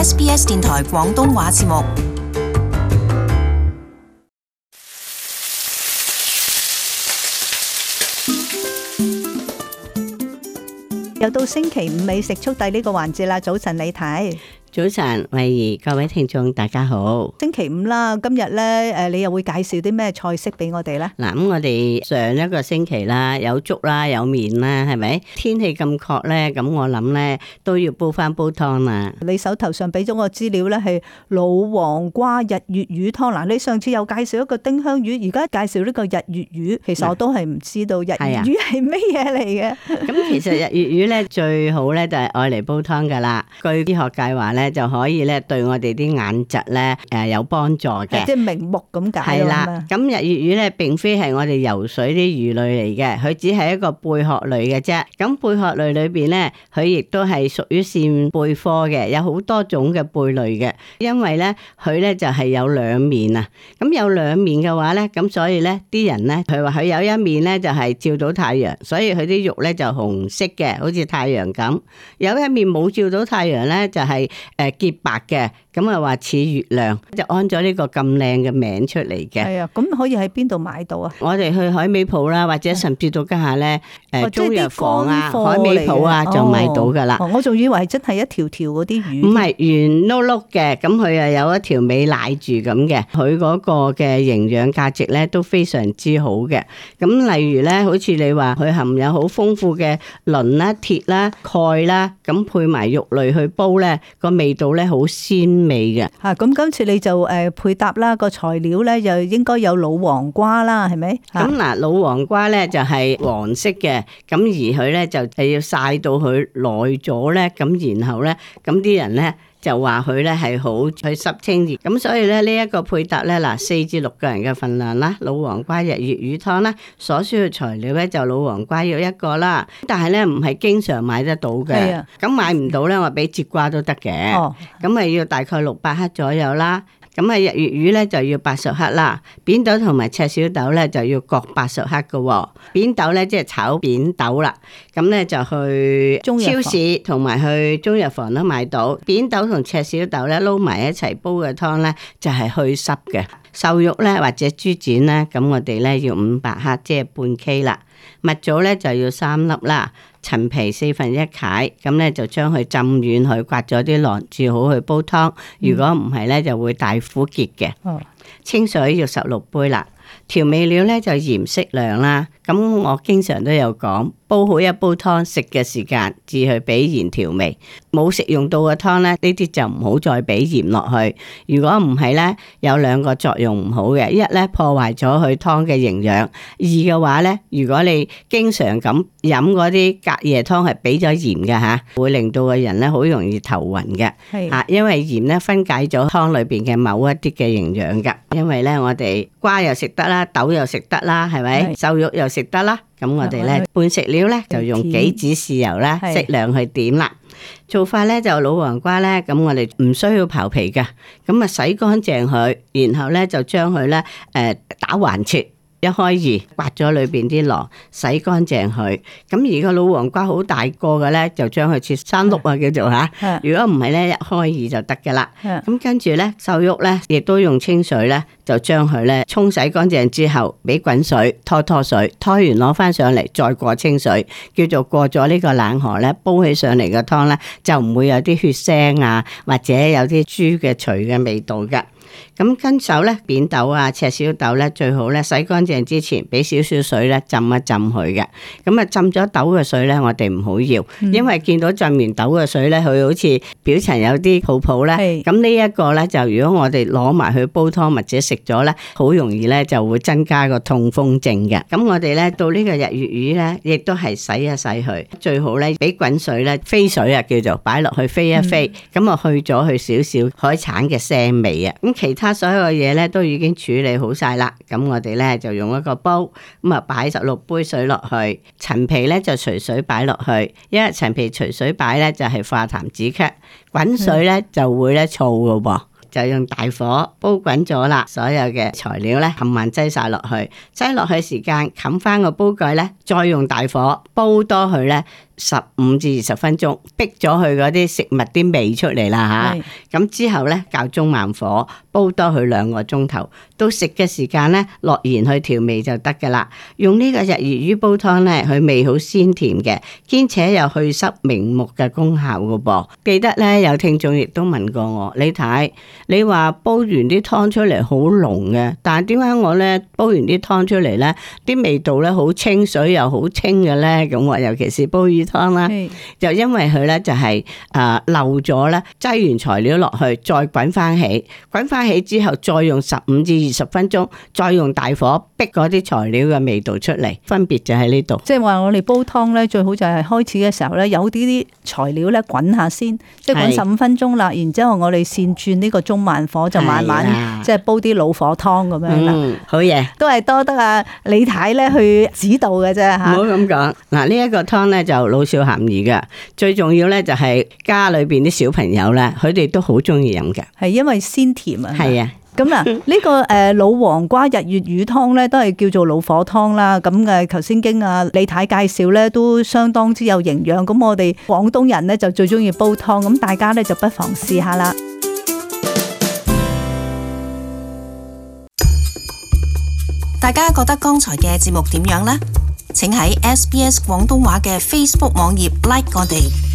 SBS 電台廣東話節目。又到星期五美食速遞呢個環節啦。早晨李太。早晨，慧怡，各位聽眾大家好。星期五啦，今日咧你又會介紹啲咩菜式俾我哋咧？嗱，咁我哋上一個星期啦，有粥啦，有麵啦，係咪？天氣咁確咧，咁我諗咧都要煲翻煲湯啦。你手頭上俾咗個資料咧，係老黃瓜日月魚湯。嗱，你上次又介紹一個丁香魚，而家介紹呢個日月魚，其實我都係唔知道日月魚係咩嘢嚟嘅。咁其實日月魚咧最好咧就係愛嚟煲湯噶啦。據醫學界話咧，就可以咧對我哋啲眼疾咧有幫助嘅，即係明目咁解。係啦，咁日月魚咧並非係我哋游水啲魚類嚟嘅，佢只係一個貝殼類嘅啫。咁貝殼類裏邊咧，佢亦都係屬於扇貝科嘅，有好多種嘅貝類嘅。因為咧佢咧就係有兩面啊，咁有兩面嘅話咧，咁所以咧啲人咧佢話佢有一面咧就係照到太陽，所以佢啲肉咧就紅色嘅，好似太陽咁；有一面冇照到太陽咧，就係潔白嘅，咁啊話似月亮，就安咗呢個咁靚嘅名出嚟嘅。係啊，咁可以喺邊度買到啊？我哋去海味鋪啦，或者甚至到家下咧，中藥房啊、海味味鋪啊就買到噶啦。我仲以為係真係一條條嗰啲魚。唔係圓碌碌嘅，咁佢又有一條尾瀨住咁嘅，佢嗰個嘅營養價值咧都非常之好嘅。咁例如咧，好似你話佢含有好豐富嘅磷啦、鐵啦、鈣啦，咁配埋肉類去煲咧，個味道咧好鮮味嘅。咁今次你就配搭啦，個材料咧就應該有老黃瓜啦，係咪？咁嗱，老黃瓜咧就係黃色嘅，咁而佢咧就係要曬到佢耐咗咧，咁然後咧，咁啲人咧就話佢咧係好去濕清熱，咁所以咧呢一個配搭咧嗱，4至6個人嘅份量啦，老黃瓜日月魚湯啦，所需嘅材料咧就老黃瓜要1個啦，但係咧唔係經常買得到嘅，咁買唔到咧我俾節瓜都得嘅，咁咪要大概600克左右啦。咁啊，日月魚咧就要80克啦，扁豆同埋赤小豆咧就要各80克嘅。扁豆咧即係炒扁豆啦，咁咧就去超市同埋去中藥房都買到。扁豆同赤小豆咧撈埋一齊煲嘅湯咧就係去濕嘅。瘦肉咧或者豬展咧，咁我哋咧要500克，即係半 K 啦。蜜棗咧就要3粒啦，陳皮1/4解，咁咧就將佢浸軟佢，刮咗啲囊，煮好去煲湯。如果唔係咧，就會大苦澀嘅。清水要16杯啦。調味料咧就鹽適量啦。咁我經常都有講，煲好一煲湯，食嘅時間至去俾鹽調味。冇食用到嘅湯咧，呢啲就唔好再俾鹽落去。如果唔係咧，有2個作用唔好嘅。一咧破壞咗佢湯嘅營養；二嘅話咧，如果你經常咁飲嗰啲隔夜湯係俾咗鹽嘅吓，會令到個人咧好容易頭暈嘅。係因為鹽咧分解咗湯裏邊嘅某一啲嘅營養噶。因為咧我哋瓜又食得啦，豆又食得啦，係咪？瘦肉又食得啦。咁我哋咧半食料咧就用幾指豉油啦，適量去點啦。做法咧就老黃瓜咧，咁我哋唔需要刨皮噶，咁啊洗乾淨佢，然後咧就將佢咧打橫切。1開2，刮咗裏邊啲囊，洗乾淨佢。咁而個老黃瓜好大個嘅咧，就將佢切3碌啊，叫做吓。如果唔係咧，1開2就得噶啦。咁跟住咧，瘦肉咧，亦都用清水咧，就將佢咧沖洗乾淨之後，俾滾水拖水，拖完攞翻上嚟，再過清水，叫做過咗呢個冷河咧，煲起上嚟嘅湯咧，就唔會有啲血腥啊，或者有啲豬嘅除嘅味道噶。咁跟手咧，扁豆啊、赤小豆咧，最好咧洗乾淨之前，俾少少水咧浸一浸佢嘅。咁啊，浸咗豆嘅水咧，我哋唔好要，因為見到浸完豆嘅水咧，佢好似表層有啲泡泡咧。咁呢一個咧，就如果我哋攞埋去煲湯或者食咗咧，好容易咧就會增加個痛風症嘅。咁我哋咧到呢個日月魚咧，亦都係洗一洗佢，最好咧俾滾水咧飛水啊，叫做擺落去飛一飛，咁啊去咗佢少少海產嘅腥味啊。咁其他所有嘅嘢咧都已經處理好晒啦，咁我哋咧就用一個煲，咁啊擺16杯水落去，陳皮咧就隨水擺落去，因為陳皮隨水擺咧就係化痰止咳，滾水咧就會咧燥噶噃。就用大火煲滾咗啦，所有嘅材料咧冚唪唥擠晒落去，擠落去時間冚翻個煲蓋咧，再用大火煲多佢咧15至20分鐘，逼咗佢嗰啲食物啲味出嚟啦吓。咁之後咧，較中慢火煲多佢2個鐘頭，到食嘅時間咧，落鹽去調味就得噶啦。用呢個日月魚煲湯咧，佢味好鮮甜嘅，兼且有去濕明目嘅功效噶噃。記得咧，有聽眾亦都問過我，李太，你話煲完啲湯出嚟好濃嘅，但係點解我咧煲完啲湯出嚟咧，啲味道咧好清水又好清嘅咧？咁我尤其是煲魚湯啦，就因為佢咧就係漏咗咧，擠完材料落去，再滾翻起，滾翻起之後再用15至20分鐘，再用大火逼嗰啲材料嘅味道出嚟，分別就喺呢度。即係話我哋煲湯咧，最好就係開始嘅時候咧，有啲材料咧滾下先，即係滾15分鐘啦，然之後我哋先轉呢個中慢火，就慢慢即係煲啲老火湯咁樣啦。好嘢，都係多得啊李太咧去指導嘅啫吓。唔好咁講，嗱呢一個湯咧就老少咸宜嘅，最重要咧就係家裏邊啲小朋友咧，佢哋都好中意飲嘅，係因為鮮甜啊。係啊。咁嗱，呢個老黃瓜日月魚湯咧，都係叫做老火湯啦。咁嘅頭先經李太介紹咧，都相當之有營養。咁我哋廣東人咧就最中意煲湯，咁大家咧就不妨試下啦。大家覺得剛才嘅節目點樣呢？請喺SBS 廣東話嘅 Facebook 網頁 like 我哋。